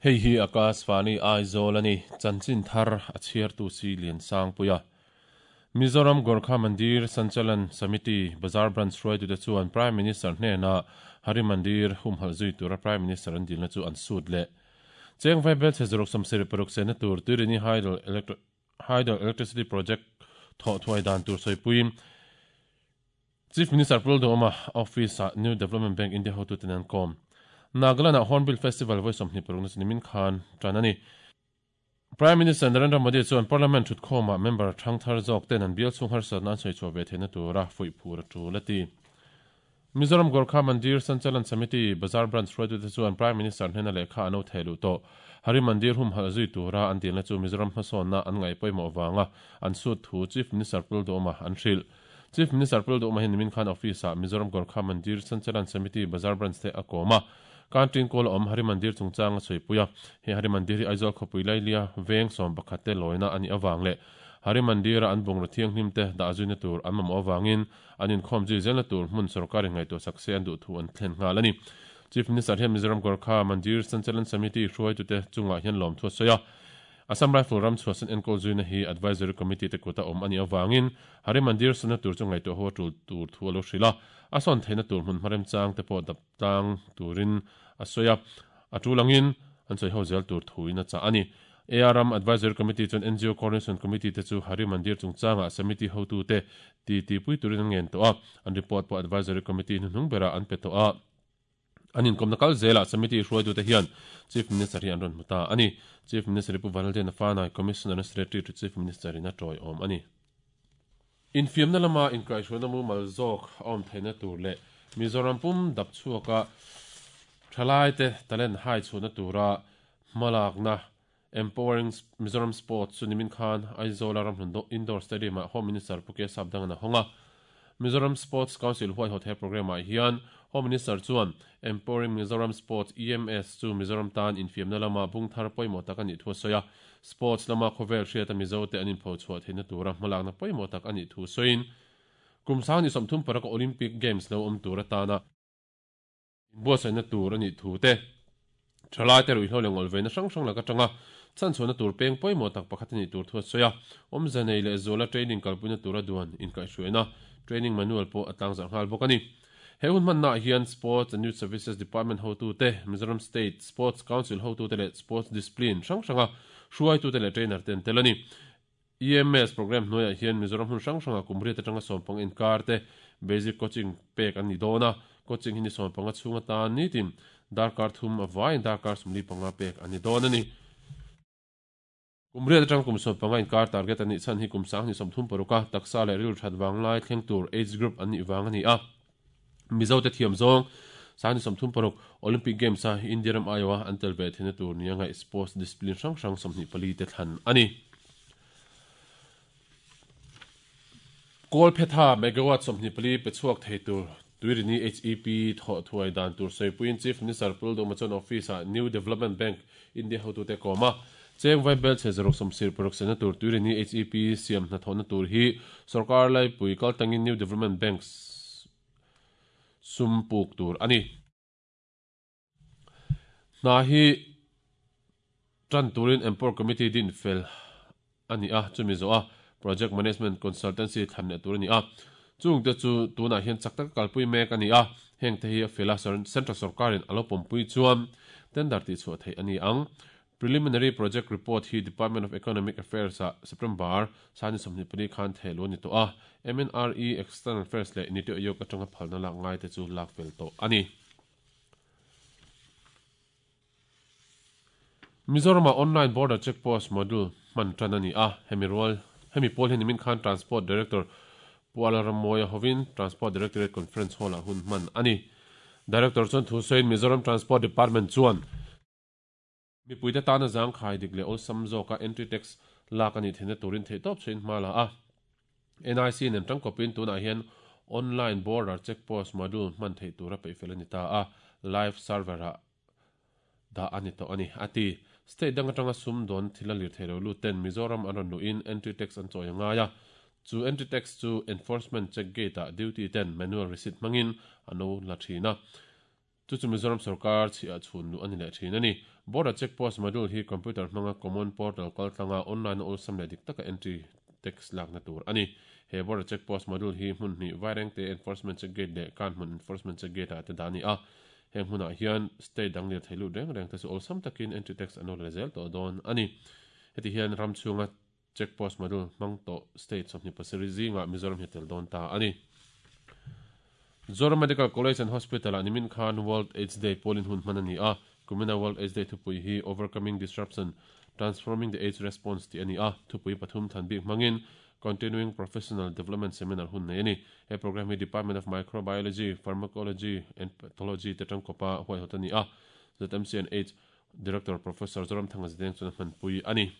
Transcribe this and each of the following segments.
Hei hi Akashvani Aizawl a ni, chanchin thar a chhiartu si Liansangpuia. Mizoram Gorkha Mandir Sanchalan Samiti Bazar Branch hruaitute chuan Prime Minister hnenah Hari Mandir humhalh zui tura Prime Minister an dilna chu an sut leh. Cheng Vaibelchhe zaruk 76 sehna tur Tuirini Hydel Hydel Electricity Project thawh thuai dan tur sawipuiin Chief Minister Pu Lalduhoma Office-ah New Development Bank India hotuten an kawm. Nagaland-ah Hornbill Festival vawi 26 na chu nimin khan tan a ni. Prime Minister Narendra Modi chuan Parliament thutkhawmah member thangthar zawk ten an bial chhung harsatna an sawi chhuah ve theihna tura fuih phur a tul a ti. Mizoram Gorkha Mandir Sanchalan Samiti Bazar Branch hruaitute chuan Prime Minister hnena lehkha an lo theh luh tawh. Hari Mandir humhalh zui tura an dilna chu Mizoram hmasawnna an ngaih pawimawh vanga an sut thu Chief Minister Pu Lalduhoma an hrilh. Chief Minister Pu Lalduhoma hian nimin khan office-ah Mizoram Gorkha Mandir Sanchalan Samiti Bazar Branch te a kawm a. Kantin kawl a awm Hari Mandir chungchang a chhuipui a. He Hari Mandir hi Aizawl khawpui Lailia veng 11 te lawina a nih avang leh Hari Mandir-a an bungraw thianghlim te dah zuina tur an mamawh avangin an inkhawm zui zelna tur hmun sorkarin ngaihtuah sak se an duh thu an thlen nghal a ni. Chief Minister hian Mizoram Gorkha Mandir Sanchalan Samiti hruaitute chungah hian lawmthu a sawi a. Assam Rifle ram chhuahsan enkawl zuina hi Advisory Committee te kuta awm a nih avangin Hari Mandir sunna tur chu ngaihtuah ho a tul tur thu a lo hrilh a. A sawn theihna tur hmun hmaremchang te pawh dap tlang turin a sawi a, a tul angin an sawi ho zel tur thuin a chah a ni. ARM Advisory Committee chuan NGO Coordination Committee te chu Hari Mandir chungchangah Samiti hotute ti tihpui turin an ngen tawh a, an report pawh Advisory Committee hnuhnung berah an pe tawh a. An inkawmna kal zelah Samiti hruaitute hian Chief Minister hi an rawn hmu ta a ni. Chief Minister hi Pu Vanlaldiana Fanai, Commissioner and Secretary to Chief Minister in a tawiawm a ni. Infiamna lama inkaihhruaina mumal zawk a awm theihna tur leh Mizoram pum dap chhuaka thalaite talent hai chhuahna tura hmalakna Empowering Mizoram Sports chu nimin khan Aizawla ramhlun Indoor Stadium-ah Home Minister Pu K Sapdangan a hawng a. Mizoram Sports Council huaihawt he programme-ah hian Home Minister chuan Empowering Mizoram Sports, EMS, chu Mizoram tan infiamna lama bung thar pawimawh tak a nih thu a sawi a. Sports lama khawvel hriata Mizote an inpho chhuah theihna tura hmalakna pawimawh tak a nih thu sawiin, kum 2036 Olympic Games lo awm tur atana inbuatsaihna tur a nih thu te, thalaite ruihhlo leh ngawlhveina hrang hrang lak atanga chhanchhuahna tur peng pawimawh tak pakhat a nih tur thu a sawi a. Awmze nei leh zuala training kalpuina tura duan inkaihhruaina training manual pawh a tlangzarh nghal bawk a ni. He hun hmannaah hian Sports and Youth Services Department hotute, Mizoram State Sports Council hotute leh Sports Discipline hrang hranga hruaitute leh trainer te an tel a ni. EMS programme hnuaiah hian Mizoram hmun hrang hranga kum riat atanga 15 inkar te basic coaching pek an ni dawn a, coaching hi ni 15 chhung atan nitin darkar thum a vaiin darkar 45 pek an ni dawn a ni. Kum riat atang kum 15 inkar target a nih chhan hi kum 2036 a taksa leh rilru that vanglai thleng tur age group an nih vang a ni a. Mizote thiam zawng 2036 Olympic Games a India ram aiawha an tel ve theihna tur nia ngaih sports discipline hrang hrang 24 te thlan a ni. Kawlphetha megawatt 24 pe chhuak thei tur Tuirini HEP thawh thuai dan tur sawipuiin Chief Minister Pu Lalduhma chuan office-ah New Development Bank India hotute a kawm a. Cheng Vaibelchhe 76 sena tur Tuirini HEP siam hnathawhna tur hi sorkar laipui kaltangin New Development Bank sum puk tur a ni. Hna hi tan turin Empower Committee din fel a ni a, chumi zawh a Project Management Consultancy thlan leh tur a ni a. Chungte chu tunah hian chak taka kalpui mek a ni a, hengte hi a fel a, Central sorkarin a lo pawmpui chuan tender tihchhuah theih a ni ang. Preliminary Project Report hi Department of Economic Affairs-ah September 24 khan thehluh a ni tawh a, MNRE, External Affairs leh Niti Aayog atanga phalna lak ngaite chu lak fel tawh a ni. Mizoramah Online Border Check Post Module hman tan a ni a, hemi rual hemi pawl hi nimin khan Transport Director Pu Alramawia hovin Transport Directorate Conference Hall-ah hun hman a ni. Director chuan thu sawiin Mizoram Transport Department chuan mipuite tana zangkhai dik leh awlsam zawka entry tax lak a nih theihna turin theihtawp chhuahin hma la a. NIC nen tangkawpin tunah hian Online Border Check Post Module hman theih tura peihfel a ni ta a, live server-ah dah a ni tawh a ni, a ti. State dang atanga sum dawn thil a lir thei lo lut ten Mizoram an rawn luhin entry tax an chawi a ngai a, chu entry tax chu enforcement check gate-ah duty ten manual receipt hmangin an lo la thin a. Chu chu Mizoram sorkar chhiah chhun luh a ni leh thin a ni. Border Check Post Module hi computer hmanga Common Portal kaltlanga online a awlsam leh dik taka entry tax lakna tur a ni. He Border Check Post Module hi hmun hnih Vairengte Enforcement Check Gate leh Kanhmun Enforcement Check Gate ah te dah a ni a. Heng hmunah hian state dang lirthei lut reng reng te chu awlsam takin entry tax an lo la zel tawh dawn a ni. Heti hian ram chhunga Check Post Module hmang tawh state 27 zingah Mizoram hi a tel dawn ta a ni. Zoram Medical College and Hospital-ah nimin khan World AIDS Day pawlin hun hman a ni a. Kumina World AIDS Day thupui hi Overcoming Disruption, Transforming the AIDS Response tih a ni a. Thupui pathum than bik hmangin Continuing Professional Development Seminar hun nei a ni. He program hi Department of Microbiology, Pharmacology and Pathology te tangkawpa huaihawt a ni a. ZMC and AIDS Director Professor Zoramthanga Zideng chuan a hmanpui a ni.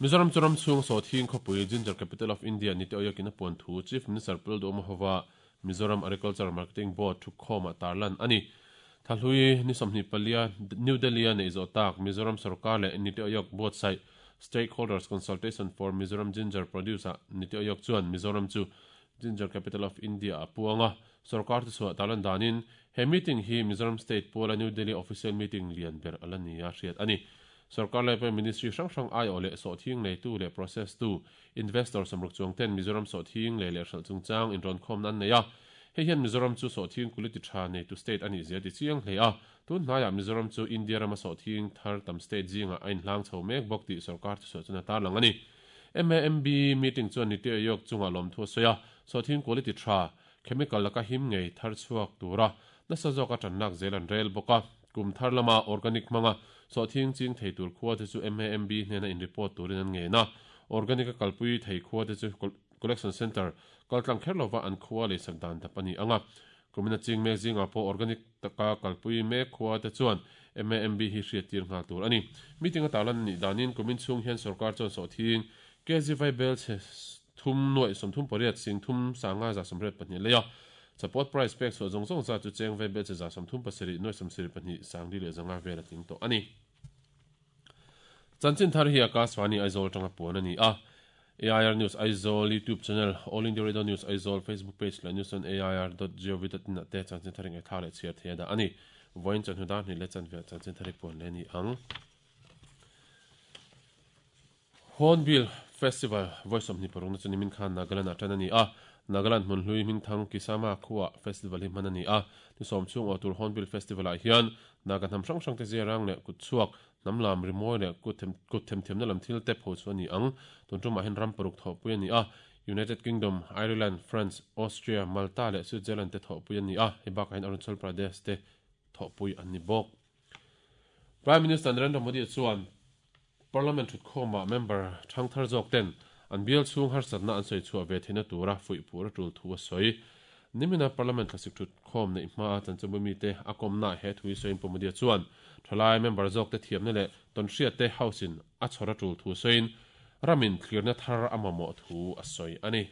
Mizoram chu ram chhung Sawthing khawpui Ginger Capital of India ni te awiakin a puan thu Chief Minister Pu Lalduhawma hova Mizoram Agriculture Marketing Board thukhawmah tarlan a ni. Thlahlui ni 24 New Delhi-a neih zawh tak Mizoram sorkar leh Niti Aayog buatsaih Stakeholders Consultation for Mizoram Ginger Produce-ah Niti Aayog chuan Mizoram chu Ginger Capital of India-ah a puang a. Sorkar thuchhuah tarlan danin he meeting hi Mizoram State puala New Delhi official meeting lian ber a la ni a hriat a ni. Sorkar lai pawhin Ministry hrang hrang aiawh leh sawhthing neitu leh process tu, investor sawmruk chuang ten Mizoram sawhthing lei leh hralh chungchang inrawnkhawmna an nei a. Hei hian Mizoram chu sawhthing quality tha neitu state a nih zia ti chiang hle a. Tun hnaiah Mizoram chu India rama sawhthing thar tam state zingah a inhlang chho mek bawk tih sorkar thusawi chuan a tarlang a ni. MAMB meeting chuan Niti Aayog chungah lawmthu a sawi a, sawhthing quality tha, chemical laka him ngei thar chhuak tura nasa zawka tanlak zel an rel bawk a. Kum thar lama organic hmanga sawhthing ching thei tur khua te chu MAMB hnena in report turin an ngen a, organic a kalpui thei khua te chu collection centre kaltlang kher lova an khua leisak dan dap a ni ang a. Kumina ching mek zingah pawh organic taka kalpui mek khua te chuan MAMB hi hriat tir nghal tur a ni. Meeting a tarlan a nih danin kumin chhung hian sorkar chuan sawhthing kg vai bel chhe thum nuaih 38 sing thum sanga 182 lei a, Support price pek chhuah zawng zawng zat chu cheng ve bel che 37 nuaih 72 sangli leh 500 vel a tling tawh a ni. Chanchin thar hi Akashvani Aizawl atanga puan a ni a. AIR News Aizawl YouTube channel, All India Radio News Aizawl Facebook page leh news on air dot gov dot in ah te chanchin thar ingaihthla leh chhiar thei a dah a ni. Vawiin chawhnu dar hnih leh chanve ah chanchin thar hi puan leh a ni ang. Hornbill Festival vawi 26 na chu nimin khan Nagaland ah tan a ni a. Nagaland hmun hlui hmingthang Kisama khuaah festival hi hman a ni a. Ni sawm chhung aw tur Hornbill Festival ah hian Naga hnam hrang hrang te ziarang leh kut chhuak, hnam lam rimawi leh kut themthiamna lam thil te pho chu a ni ang. Tun tumah hian ram paruk thawhpui a ni a. United Kingdom, Ireland, France, Austria, Malta leh Switzerland te thawhpui an ni a. Hei bakah hian Arunachal Pradesh te thawhpui an ni bawk. Prime Minister Narendra Modi chuan Parliament thutkhawmah member thangthar zawk ten an bial chhung harsatna an sawi chhuah ve theihna tura fuih phur a tul thu a sawi. Nimina Parliament thlasik thutkhawm neih hmaa chanchinbu mite a kawmnaah he thu hi sawiin Pu Modi-a chuan thalai member zawkte thiamna leh tawnhriatte House-in a chhawr a tul thu sawiin ramin thlirna thar a mamawh thu a sawi a ni.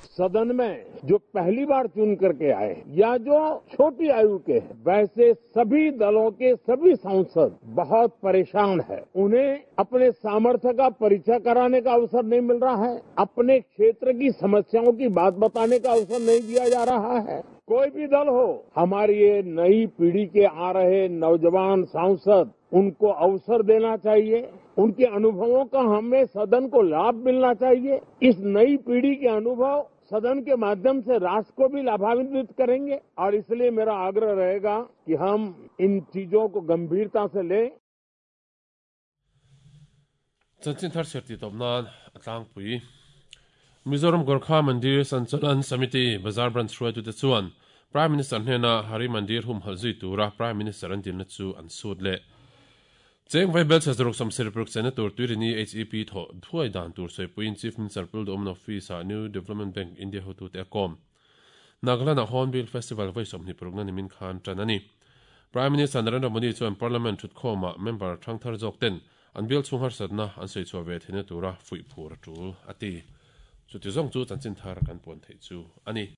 सदन में जो पहली बार चुन करके आए या जो छोटी आयु के हैं, वैसे सभी दलों के सभी सांसद बहुत परेशान हैं। उन्हें अपने सामर्थ्य का परिचय कराने का अवसर नहीं मिल रहा है, अपने क्षेत्र की समस्याओं की बात बताने का अवसर नहीं दिया जा रहा है। कोई भी दल हो, हमारी ये नई पीढ़ी के आ रहे नौजवान सांसद, उनको अवसर देना चाहिए, उनके अनुभवों का हमें सदन को लाभ मिलना चाहिए। इस नई पीढ़ी के अनुभव सदन के माध्यम से राष्ट्र को भी लाभान्वित करेंगे और इसलिए मेरा आग्रह रहेगा कि हम इन चीजों को गंभीरता से लें। Chanchin thar chhiar tih tawp nan a tlangpui. Mizoram Gorkha Mandir Sanchalan Samiti Bazar Branch hruaitute chuan Prime Minister hnena Hari Mandir humhalh zui tura Prime Minister an dilna chu an sut leh. Cheng vai belchhe zaruk 76 chenna tur Tuirini HEP thawh thuai dan tur sawipuiin Chief Minister Pul Duhawmna Office-ah New Development Bank India hotute a kawm. Nagaland-ah Hornbill Festival vawi 26 nimin khan tan a ni. Prime Minister Narendra Modi chuan Parliament thutkhawmah member thangthar zawk ten an bial chhung harsatna an sawi chhuah ve theihna tura fuih phur a tul a ti. Chuti zawng chu chanchin thar kan puan theih chu a ni.